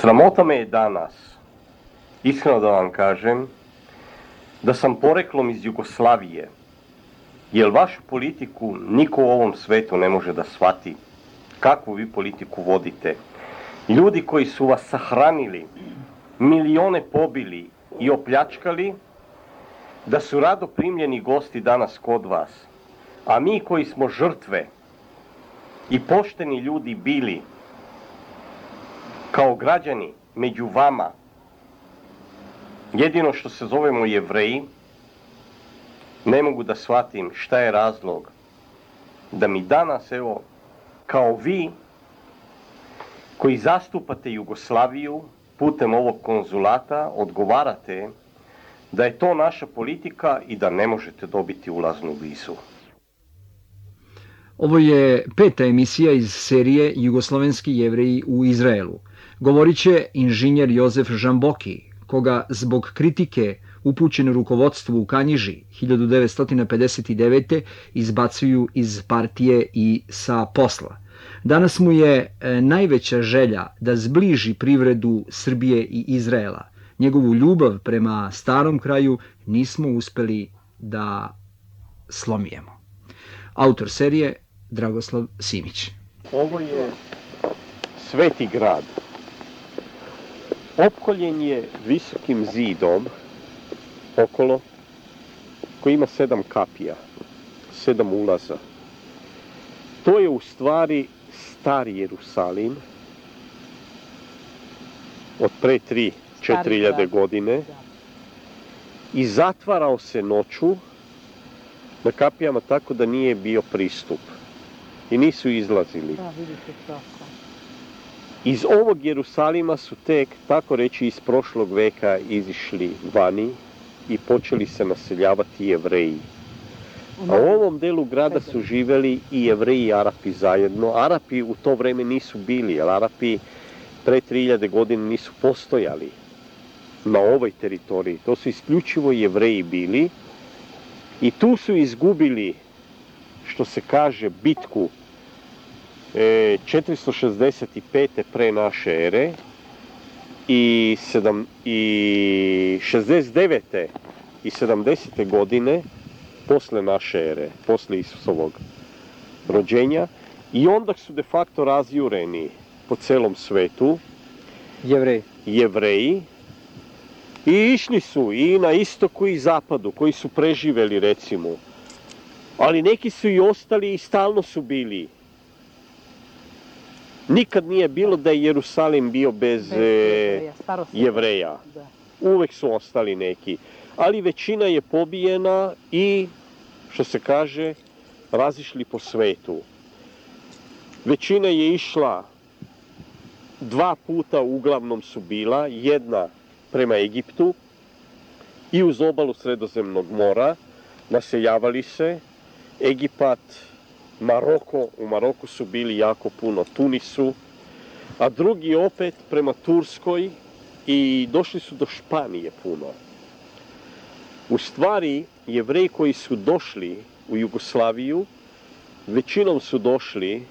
Sramota me je danas, iskreno da vam kažem, da sam poreklom iz Jugoslavije, jer vašu politiku niko u ovom svetu ne može da shvati. Kakvu vi politiku vodite? Ljudi koji su vas sahranili, milione pobili i opljačkali, da su rado primljeni gosti danas kod vas. A mi koji smo žrtve i pošteni ljudi bili, kao građani među vama, jedino što se zovemo Jevreji, ne mogu da shvatim šta je razlog da mi danas, evo, kao vi, koji zastupate Jugoslaviju putem ovog konzulata, odgovarate da je to naša politika i da ne možete dobiti ulaznu vizu. Ovo je 5. emisija iz serije Jugoslovenski Jevreji u Izraelu. Govorit će inženjer Jozef Žamboki, koga zbog kritike upućene rukovodstvu u Kanjiži 1959. izbacuju iz partije i sa posla. Danas mu je najveća želja da zbliži privredu Srbije i Izraela. Njegovu ljubav prema starom kraju nismo uspeli da slomijemo. Autor serije Dragoslav Simić. Ovo je sveti grad. Opkoljen je visokim zidom okolo, koji ima 7 kapija, 7 ulaza. To je u stvari stari Jerusalim od pre 3-4 godine i zatvarao se noću na kapijama tako da nije bio pristup i nisu izlazili. Iz ovog Jerusalima su tek, tako reći, iz prošlog veka izišli vani i počeli se naseljavati Jevreji. A u ovom delu grada su živeli i Jevreji i Arapi zajedno. Arapi u to vreme nisu bili, jer Arapi pre 3000 godina nisu postojali na ovoj teritoriji. To su isključivo Jevreji bili i tu su izgubili, što se kaže, bitku 465. pre naše ere i 69. i 70. godine posle naše ere, posle Isusovog rođenja, i onda su de facto razjureni po celom svetu Jevreji i išli su i na istoku i zapadu, koji su preživeli, recimo, ali neki su i ostali i stalno su bili. Nikad nije bilo da je Jerusalim bio bez Jevreja. Uvek su ostali neki. Ali većina je pobijena i, što se kaže, razišli po svetu. Većina je išla 2 puta, uglavnom su bila, jedna prema Egiptu i uz obalu Sredozemnog mora, naseljavali se. Egipat, Maroko, u Maroku su bili jako puno, Tunisu, a drugi opet prema Turskoj i došli su do Španije puno. U stvari, Jevreji koji su došli u Jugoslaviju, većinom su došli,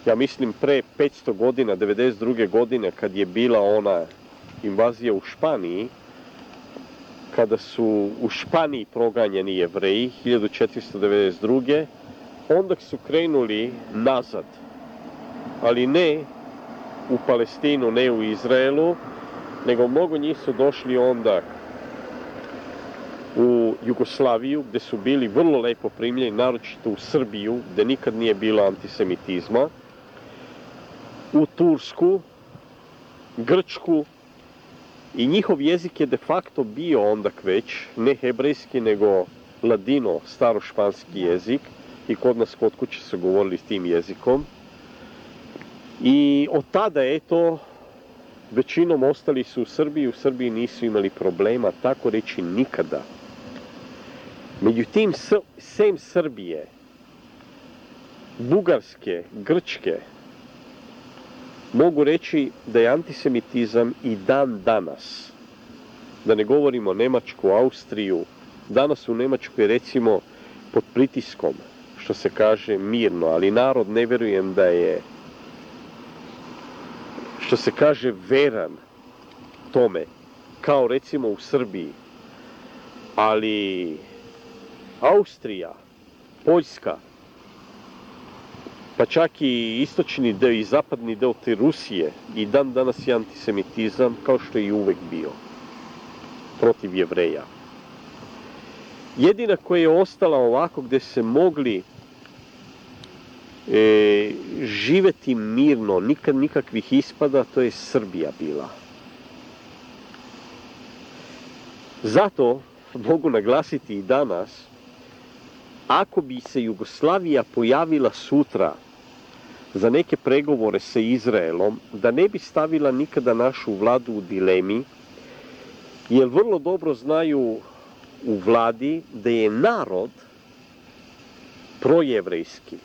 ja mislim, pre 500 godina, 92. godine, kad je bila ona invazija u Španiji, kada su u Španiji proganjeni Jevreji, 1492. Onda su krenuli nazad, ali ne u Palestinu, ne u Izraelu, nego mnogo njih su došli onda u Jugoslaviju, gde su bili vrlo lepo primljeni, naročito u Srbiju, gde nikad nije bilo antisemitizma, u Tursku, Grčku, i njihov jezik je de facto bio onda već, ne hebrejski, nego ladino, starošpanski jezik, i kod nas kod kuće su govorili s tim jezikom. I od tada, eto, većinom ostali su u Srbiji nisu imali problema, tako reći nikada. Međutim, sem Srbije, Bugarske, Grčke, mogu reći da je antisemitizam i dan danas. Da ne govorimo Nemačku, Austriju, danas u Nemačkoj, recimo, pod pritiskom, što se kaže, mirno, ali narod, ne verujem da je, što se kaže, veran tome, kao recimo u Srbiji, ali Austrija, Poljska, pa čak i istočni deo i zapadni deo te Rusije i dan danas je antisemitizam, kao što je i uvek bio, protiv Jevreja. Jedina koja je ostala ovako gde se mogli živeti mirno, nikad nikakvih ispada, to je Srbija bila. Zato mogu naglasiti i danas, ako bi se Jugoslavija pojavila sutra za neke pregovore sa Izraelom, da ne bi stavila nikada našu vladu u dilemi, jer vrlo dobro znaju u vladi da je narod projevrejski.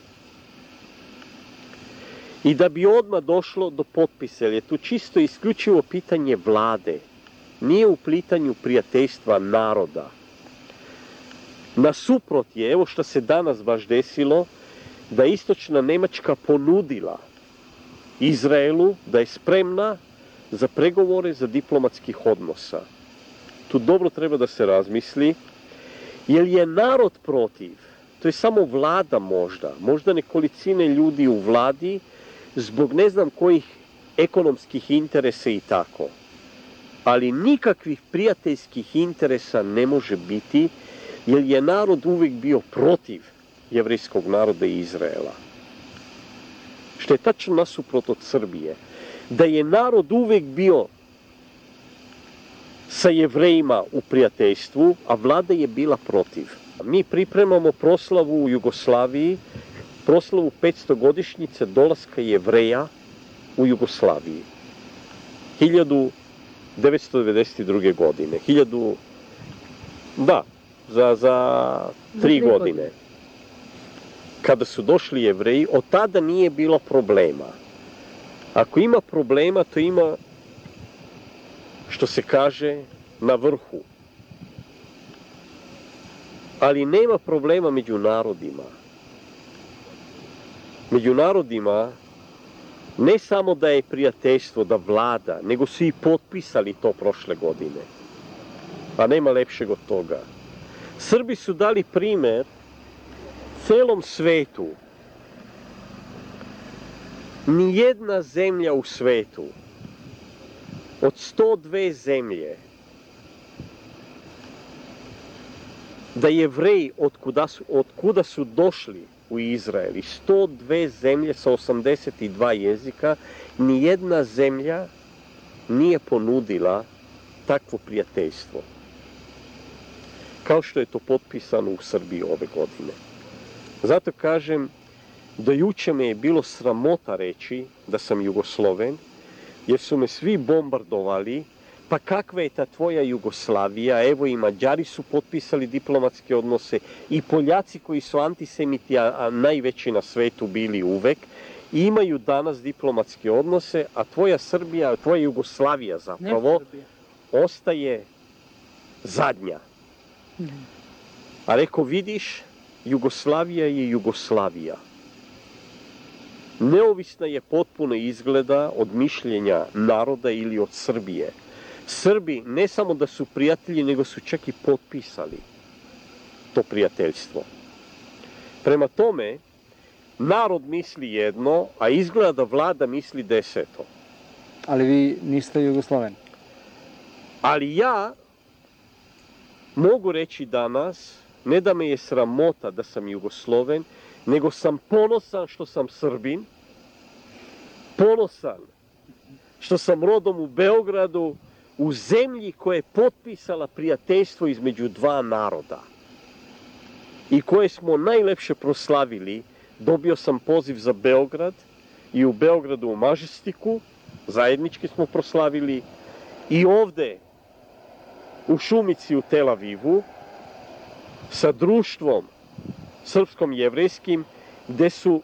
I da bi odmah došlo do potpisa, jer je tu čisto isključivo pitanje vlade, nije u pitanju prijateljstva naroda. Nasuprot je, evo što se danas baš desilo, da je istočna Nemačka ponudila Izraelu da je spremna za pregovore za diplomatskih odnosa. Tu dobro treba da se razmisli, jer je narod protiv, to je samo vlada možda nekolicine ljudi u vladi, zbog ne znam kojih ekonomskih interesa i tako. Ali nikakvih prijateljskih interesa ne može biti, jer je narod uvijek bio protiv jevrejskog naroda i Izraela. Što je tačno nasuprot od Srbije. Da je narod uvijek bio sa Jevrejima u prijateljstvu, a vlada je bila protiv. Mi pripremamo proslavu u Jugoslaviji, proslavu 500-godišnjice dolaska Jevreja u Jugoslaviji. 1992. godine. Za 3 godine. Kada su došli Jevreji, od tada nije bilo problema. Ako ima problema, to ima, što se kaže, na vrhu. Ali nema problema među narodima. Među narodima ne samo da je prijateljstvo, da vlada, nego su i potpisali to prošle godine. Pa nema lepšeg od toga. Srbi su dali primer celom svetu. Nijedna zemlja u svetu od 102 zemlje da Jevreji od kuda su došli u Izrael i 102 zemlje sa 82 jezika, nijedna zemlja nije ponudila takvo prijateljstvo. Kao što je to potpisano u Srbiji ove godine. Zato kažem, do juče me je bilo sramota reći da sam Jugosloven, jer su me svi bombardovali, pa kakva je ta tvoja Jugoslavija, evo i Mađari su potpisali diplomatske odnose, i Poljaci koji su antisemiti, a najveći na svetu bili uvek, imaju danas diplomatske odnose, a tvoja Srbija, tvoja Jugoslavija zapravo, ostaje zadnja. A reko, vidiš, Jugoslavija je Jugoslavija. Neovisna je potpuno izgleda od mišljenja naroda ili od Srbije. Srbi ne samo da su prijatelji, nego su čak i potpisali to prijateljstvo. Prema tome, narod misli jedno, a izgleda da vlada misli deseto. Ali vi niste Jugosloven. Ali ja mogu reći danas, ne da me je sramota da sam Jugosloven, nego sam ponosan što sam Srbin, ponosan što sam rodom u Beogradu, u zemlji koja je potpisala prijateljstvo između dva naroda i koje smo najlepše proslavili. Dobio sam poziv za Beograd i u Beogradu u Mažestiku, zajednički smo proslavili, i ovde u Šumici u Tel Avivu sa društvom srpskom jevrejskim, gde su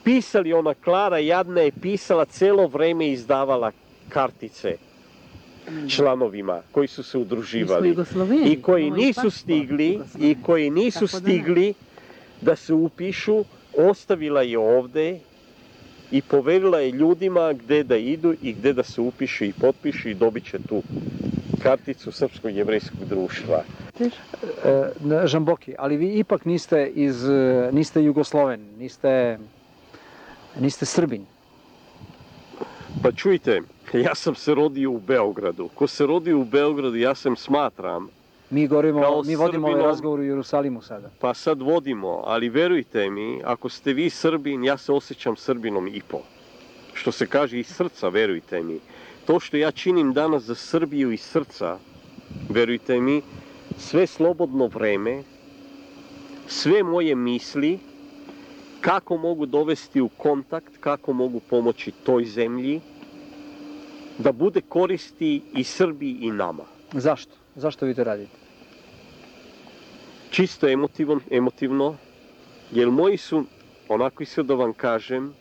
pisali, ona Klara jadna je pisala celo vreme i izdavala kartice članovima koji su se udruživali i koji nisu stigli da se upišu, ostavila je ovde i poverila je ljudima gde da idu i gde da se upišu i potpišu i dobit će tu karticu Srpskog jevrejskog društva. Žamboki, ali vi ipak niste Jugosloven, niste Srbin. Pa čujte, ja sam se rodio u Beogradu. Ko se rodio u Beogradu, ja sam smatram... Mi vodimo ovaj razgovor u Jerusalimu sada. Pa sad vodimo, ali verujte mi, ako ste vi Srbin, ja se osjećam Srbinom i po. Što se kaže iz srca, verujte mi. To što ja činim danas za Srbiju iz srca, verujte mi, sve slobodno vreme, sve moje misli, kako mogu dovesti u kontakt, kako mogu pomoći toj zemlji, da bude koristi i Srbiji i nama. Zašto? Zašto vi to radite? Čisto emotivno, jer moji su, onako isto da vam kažem,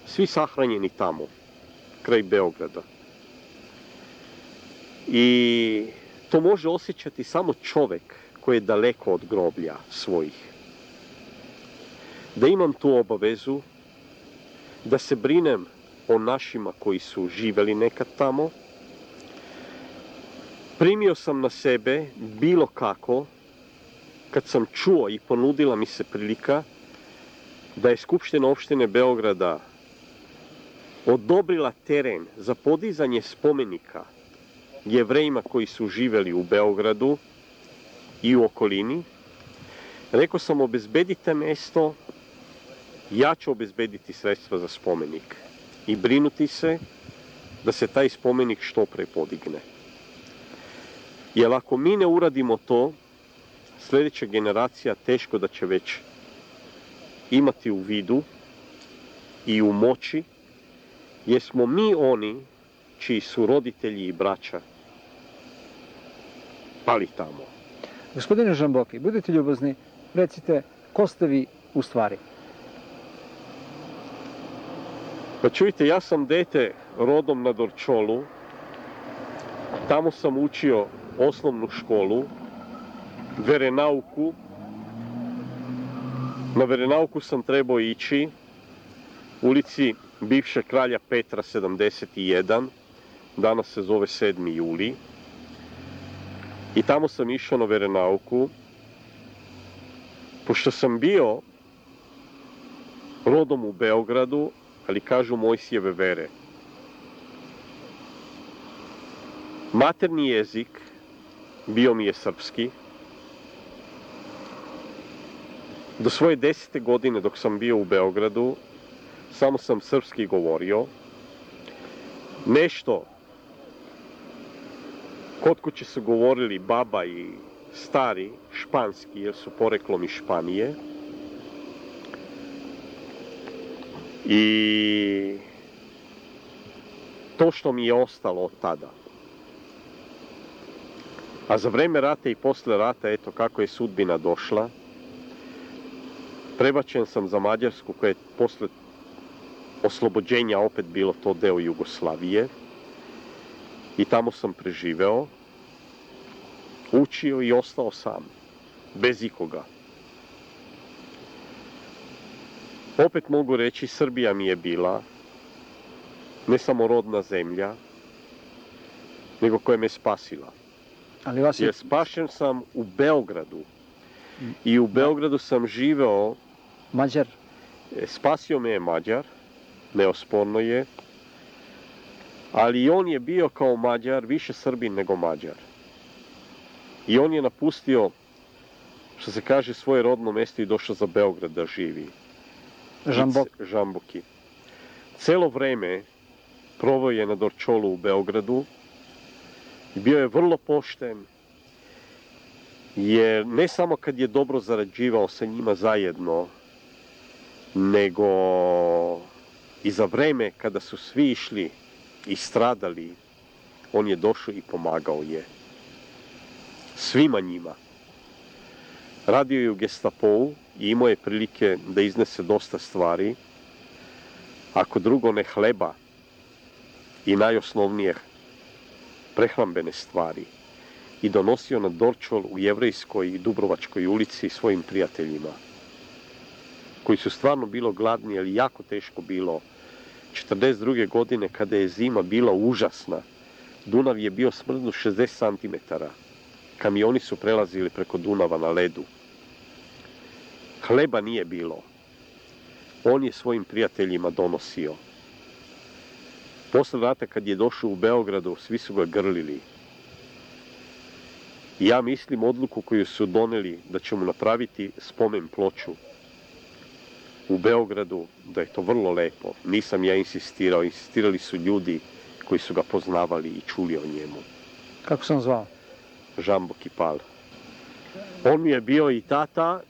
svi sahranjeni tamo, kraj Beograda. I to može osjećati samo čovek koji je daleko od groblja svojih. Da imam tu obavezu, da se brinem o našima koji su živeli nekad tamo. Primio sam na sebe bilo kako, kad sam čuo i ponudila mi se prilika, da je Skupština opštine Beograda odobrila teren za podizanje spomenika Jevrejima koji su živeli u Beogradu i u okolini. Rekao sam, obezbedite mesto, ja ću obezbediti sredstva za spomenik i brinuti se da se taj spomenik što pre podigne. Jer ako mi ne uradimo to, sljedeća generacija teško da će već imati u vidu i u moći, jer smo mi oni čiji su roditelji i braća pali tamo. Gospodine Žamboki, budite ljubazni, recite, ko ste vi u stvari? Pa čujte, ja sam dete rodom na Dorčolu, tamo sam učio osnovnu školu, verenauku. Na verenauku sam trebao ići ulici bivšeg kralja Petra 71, danas se zove 7. juli. I tamo sam išao na verenauku, pošto sam bio rodom u Beogradu, ali kažu Mojsijeve vere. Materni jezik bio mi je srpski. Do svoje 10. godine dok sam bio u Beogradu, samo sam srpski govorio. Nešto kod kuće su govorili baba i stari španski, jer su poreklom iz Španije. I to što mi je ostalo od tada. A za vreme rata i posle rata, eto kako je sudbina došla, prebačen sam za Mađarsku, koja je posle oslobođenja opet bilo to deo Jugoslavije. I tamo sam preživeo, učio i ostao sam, bez ikoga. Opet mogu reći, Srbija mi je bila ne samo rodna zemlja, nego koja me spasila. Jer spašen sam u Beogradu. I u Beogradu sam živeo... Mađar? Spasio me je Mađar, neosporno je. Ali on je bio kao Mađar, više Srbin nego Mađar. I on je napustio, što se kaže, svoje rodno mesto i došao za Beograd da živi. Žamboki. Celo vreme proveo je na Dorčolu u Beogradu i bio je vrlo pošten, jer ne samo kad je dobro zarađivao sa njima zajedno, nego i za vreme kada su svi išli i stradali, on je došao i pomagao je. Svima njima. Radio je u Gestapou i imao je prilike da iznese dosta stvari. Ako drugo ne hleba i najosnovnije prehrambene stvari. I donosio na Dorčol u Jevrejskoj i Dubrovačkoj ulici svojim prijateljima. koji su stvarno bilo gladni, ali jako teško bilo. 42. godine kada je zima bila užasna, Dunav je bio smrznut 60 cm. Kamioni su prelazili preko Dunava na ledu. Hleba nije bilo. On je svojim prijateljima donosio. Posle rata kad je došao u Beogradu, svi su ga grlili. I ja mislim odluku koju su doneli da ćemo napraviti spomen ploču u Beogradu, da je to vrlo lepo. Nisam ja insistirao, insistirali su ljudi koji su ga poznavali i čuli o njemu. Kako sam zvao? Žamboki Pal. On mi je bio i tata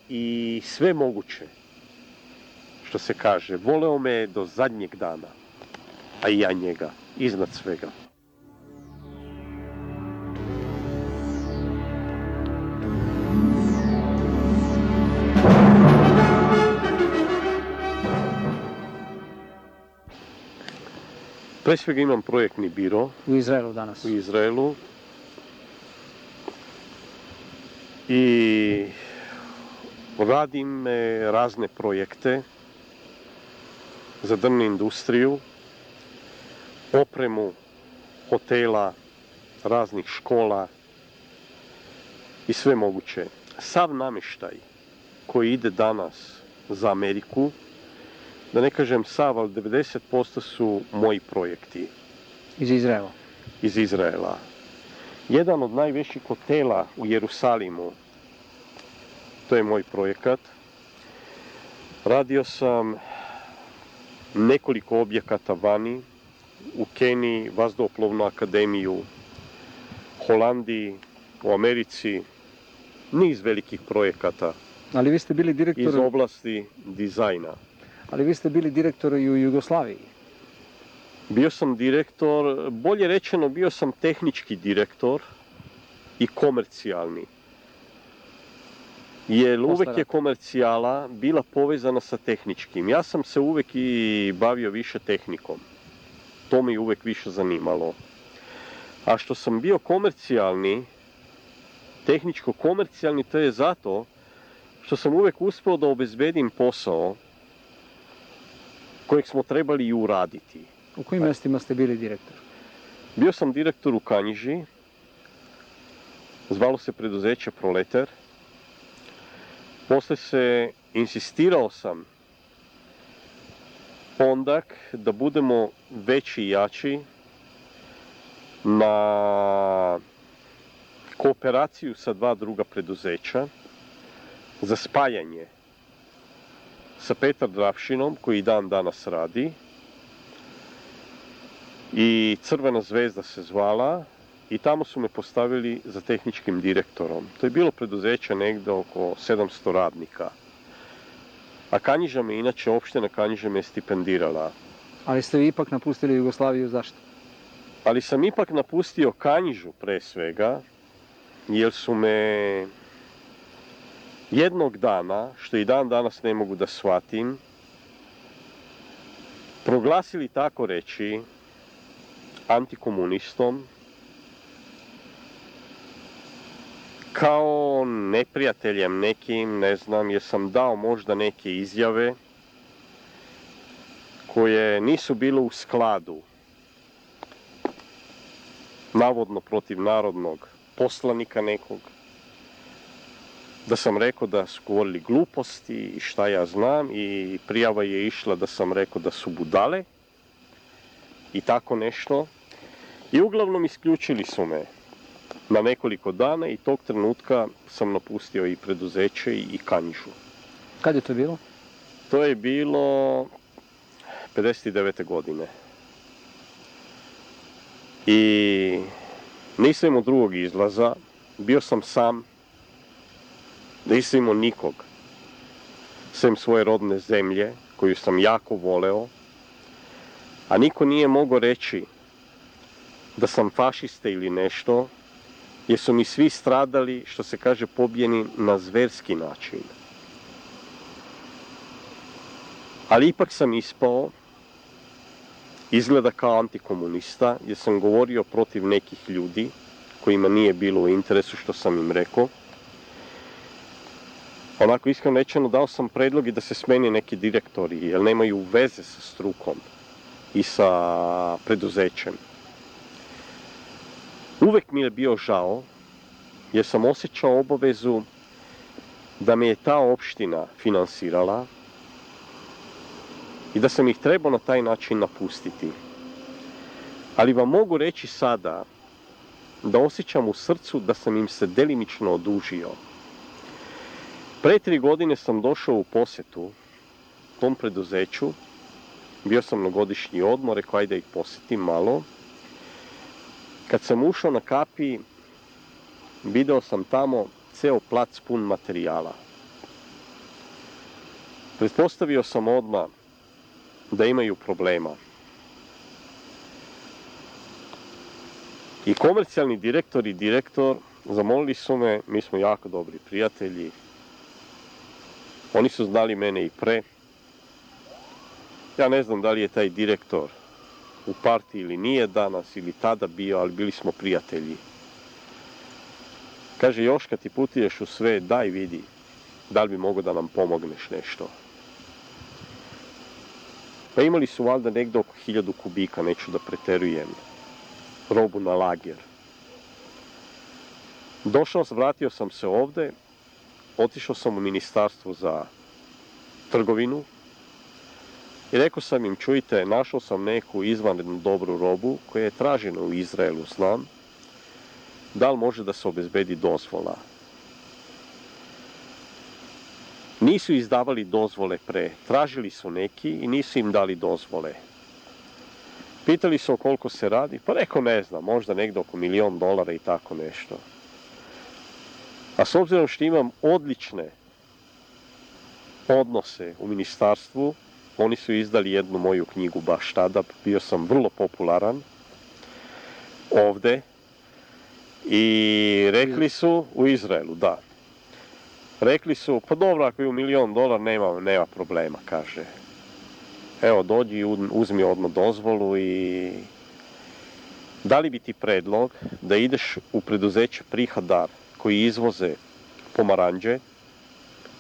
i sve moguće, što se kaže. Voleo me do zadnjeg dana, a i ja njega, iznad svega. Pre svega imam projektni biro. U Izraelu danas. U Izraelu. I radim razne projekte za drvnu industriju, opremu hotela, raznih škola i sve moguće. Sav namještaj koji ide danas za Ameriku, da ne kažem sav, ali 90% su moji projekti. Iz Izraela? Iz Izraela. Jedan od najvećih hotela u Jerusalimu, to je moj projekat. Radio sam nekoliko objekata vani, u Keniji, Vazduhoplovnu akademiju, Holandiji, u Americi, niz velikih projekata. Ali vi ste bili direktor... Iz oblasti dizajna. Ali vi ste bili direktor i u Jugoslaviji. Bio sam direktor, bolje rečeno bio sam tehnički direktor i komercijalni. Jer uvek je komercijala bila povezana sa tehničkim. Ja sam se uvek i bavio više tehnikom. To me uvek više zanimalo. A što sam bio komercijalni, tehničko-komercijalni, to je zato što sam uvek uspeo da obezbedim posao kojeg smo trebali i uraditi. U kojim mjestima ste bili direktor? Bio sam direktor u Kanjiži, zvalo se preduzeće Proletar. Posle se insistirao sam ondak da budemo veći i jači na kooperaciju sa dva druga preduzeća za spajanje sa Petar Dravšinom, koji dan danas radi, i Crvena zvezda se zvala, i tamo su me postavili za tehničkim direktorom. To je bilo preduzeće negde oko 700 radnika. A Kanjiža me, inače opština Kanjiža me stipendirala. Ali ste vi ipak napustili Jugoslaviju, zašto? Ali sam ipak napustio Kanjižu pre svega, jer su me jednog dana, što i dan danas ne mogu da shvatim, proglasili tako reći antikomunistom, kao neprijateljem nekim, ne znam, jer sam dao možda neke izjave koje nisu bile u skladu, navodno protiv narodnog poslanika nekog, da sam rekao da su govorili gluposti i šta ja znam, i prijava je išla da sam rekao da su budale i tako nešto. I uglavnom isključili su me na nekoliko dana i tog trenutka sam napustio i preduzeće i Kanjižu. Kad je to bilo? To je bilo 59. godine. I nisam imao drugog izlaza, bio sam sam, nisam imao nikog, sem svoje rodne zemlje, koju sam jako voleo, a niko nije mogao reći da sam fašista ili nešto, jer su mi svi stradali, što se kaže, pobijeni na zverski način. Ali ipak sam ispao, izgleda kao antikomunista, jer sam govorio protiv nekih ljudi kojima nije bilo u interesu što sam im rekao. Onako iskreno rečeno dao sam predlog i da se smeni neki direktori, jer nemaju veze sa strukom i sa preduzećem. Uvek mi je bio žao, jer sam osjećao obavezu da me je ta opština finansirala i da sam ih trebao na taj način napustiti. Ali vam mogu reći sada da osjećam u srcu da sam im se delimično odužio. Pre 3 godine sam došao u posetu tom preduzeću, bio sam na godišnji odmor, rekao ajde da ih posetim malo. Kad sam ušao na kapiji, video sam tamo ceo plac pun materijala. Pretpostavio sam odmah da imaju problema. I komercijalni direktor i direktor zamolili su me, mi smo jako dobri prijatelji, oni su znali mene i pre. Ja ne znam da li je taj direktor u partiji ili nije danas ili tada bio, ali bili smo prijatelji. Kaže, još kad ti putuješ u sve, daj vidi, da li bi mogao da nam pomogneš nešto. Pa imali su valjda negdje oko 1000 kubika, neću da preterujem, robu na lager. Došao, vratio sam se ovde, otišao sam u ministarstvo za trgovinu i rekao sam im, čujte, našao sam neku izvanrednu dobru robu koja je tražena u Izraelu, znam, da li može da se obezbedi dozvola. Nisu izdavali dozvole pre, tražili su neki i nisu im dali dozvole. Pitali su o koliko se radi, pa rekao ne znam, možda negdje oko $1 milion i tako nešto. A s obzirom što imam odlične odnose u ministarstvu, oni su izdali jednu moju knjigu baš tada, bio sam vrlo popularan ovde i rekli su, u Izraelu, da. Rekli su, pa dobro, ako je u $1 milion, nema problema, kaže. Evo, dođi i uzmi odmah dozvolu i dali bi ti predlog da ideš u preduzeće Prihadar koji izvoze pomaranđe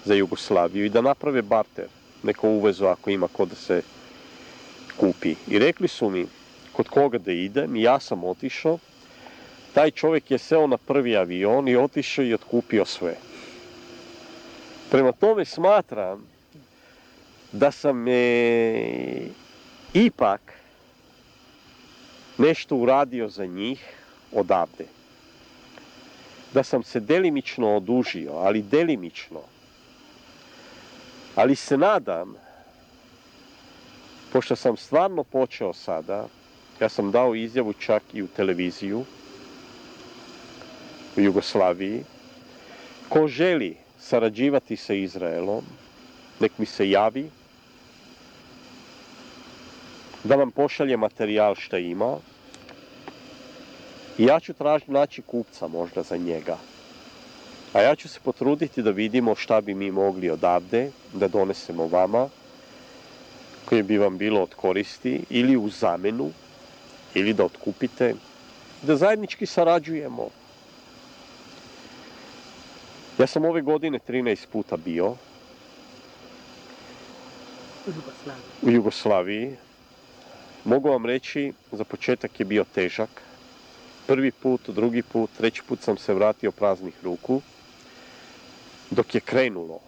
za Jugoslaviju i da naprave barter, neko uvezu ako ima ko da se kupi. I rekli su mi kod koga da idem i ja sam otišao. Taj čovjek je seo na prvi avion i otišao i otkupio sve. Prema tome smatram da sam ipak nešto uradio za njih odavde. Da sam se delimično odužio, ali delimično. Ali se nadam, pošto sam stvarno počeo sada, ja sam dao izjavu čak i u televiziju, u Jugoslaviji, ko želi sarađivati sa Izraelom, nek mi se javi, da nam pošalje materijal šta ima i ja ću naći kupca možda za njega. A ja ću se potruditi da vidimo šta bi mi mogli odavde da donesemo vama, koje bi vam bilo od koristi, ili u zamenu, ili da otkupite, da zajednički sarađujemo. Ja sam ove godine 13 puta bio u Jugoslaviji. Mogu vam reći, za početak je bio težak. Prvi put, drugi put, treći put sam se vratio praznih ruku. Dok je krenulo,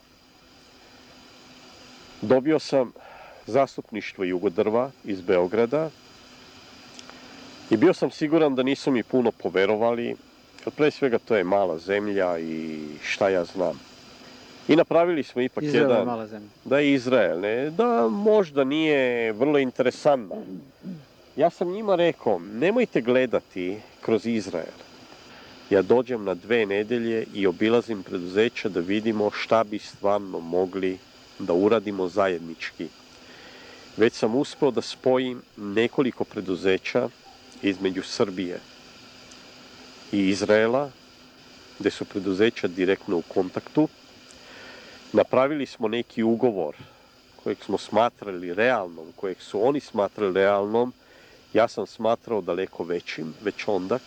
dobio sam zastupništvo Jugodrva iz Beograda i bio sam siguran da nisu mi puno poverovali, jer pre svega to je mala zemlja i šta ja znam. I napravili smo ipak Izrael jedan... je mala zemlja. Da je Izrael, ne, da možda nije vrlo interesantna. Ja sam njima rekao, nemojte gledati kroz Izrael. Ja dođem na 2 nedelje i obilazim preduzeća da vidimo šta bi stvarno mogli da uradimo zajednički. Već sam uspeo da spojim nekoliko preduzeća između Srbije i Izraela, gde su preduzeća direktno u kontaktu. Napravili smo neki ugovor kojeg smo smatrali realnom, kojeg su oni smatrali realnom, ja sam smatrao daleko većim, već ondak.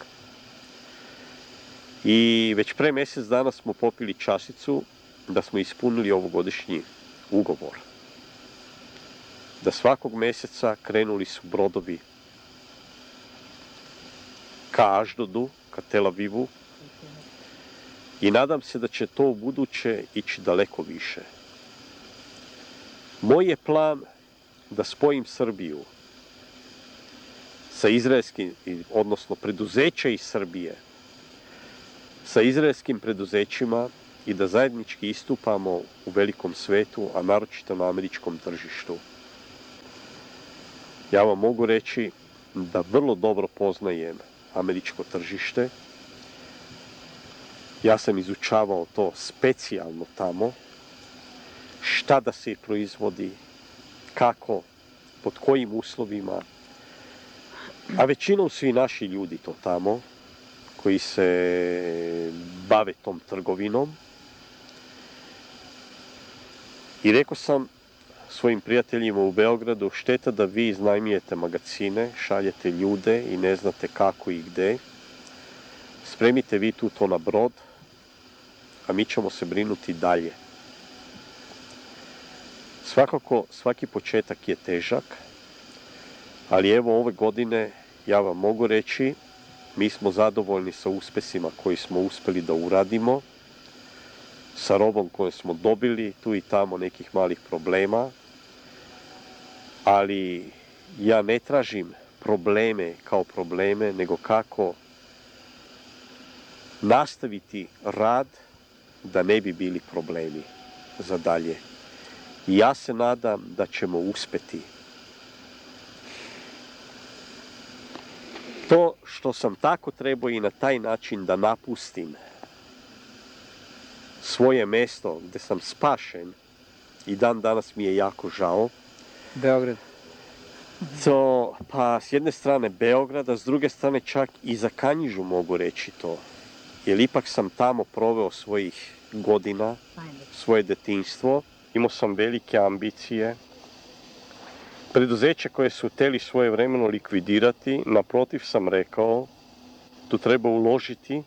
I već pre mjesec dana smo popili čašicu da smo ispunili ovogodišnji ugovor. Da svakog mjeseca krenuli su brodovi ka Aždodu, ka Tel Avivu i nadam se da će to u buduće ići daleko više. Moj je plan da spojim Srbiju sa izraelskim, odnosno preduzeća iz Srbije, sa izraelskim preduzećima i da zajednički istupamo u velikom svetu, a naročito na američkom tržištu. Ja vam mogu reći da vrlo dobro poznajem američko tržište. Ja sam izučavao to specijalno tamo, šta da se proizvodi, kako, pod kojim uslovima, a većinom su i naši ljudi to tamo, koji se bave tom trgovinom. I rekao sam svojim prijateljima u Beogradu, šteta da vi iznajmijete magazine, šaljete ljude i ne znate kako i gde. Spremite vi tu to na brod, a mi ćemo se brinuti dalje. Svakako, svaki početak je težak, ali evo ove godine ja vam mogu reći, mi smo zadovoljni sa uspesima koji smo uspeli da uradimo, sa robom koju smo dobili, tu i tamo nekih malih problema, ali ja ne tražim probleme kao probleme, nego kako nastaviti rad da ne bi bili problemi za dalje. I ja se nadam da ćemo uspeti. To što sam tako trebao i na taj način da napustim svoje mesto gde sam spašen i dan danas mi je jako žao. Beograd. To, pa s jedne strane Beograd, a s druge strane čak i za Kanjižu mogu reći to. Jer ipak sam tamo proveo svojih godina, svoje detinjstvo. Imao sam velike ambicije. Preduzeće koje su hteli svojevremeno likvidirati, naprotiv sam rekao, tu treba uložiti,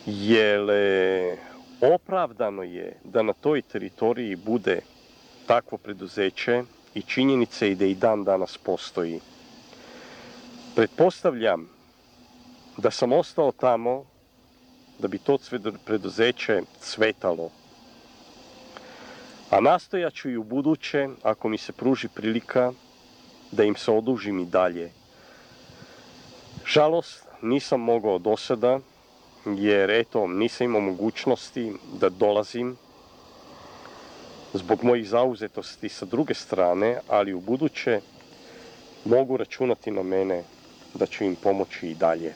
jer opravdano je da na toj teritoriji bude takvo preduzeće i činjenica je da i dan danas postoji. Pretpostavljam da sam ostao tamo da bi to preduzeće cvetalo. A nastojat ću i u buduće, ako mi se pruži prilika, da im se odužim i dalje. Žalost, nisam mogao do sada, jer eto, nisam imao mogućnosti da dolazim zbog mojih zauzetosti sa druge strane, ali u buduće mogu računati na mene da ću im pomoći i dalje.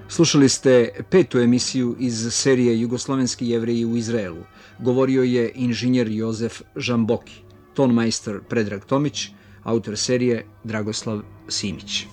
Slušali ste 5. emisiju iz serije Jugoslovenski Jevreji u Izraelu. Govorio je inženjer Jozef Žamboki, tonmajstor Predrag Tomić, autor serije Dragoslav Simić.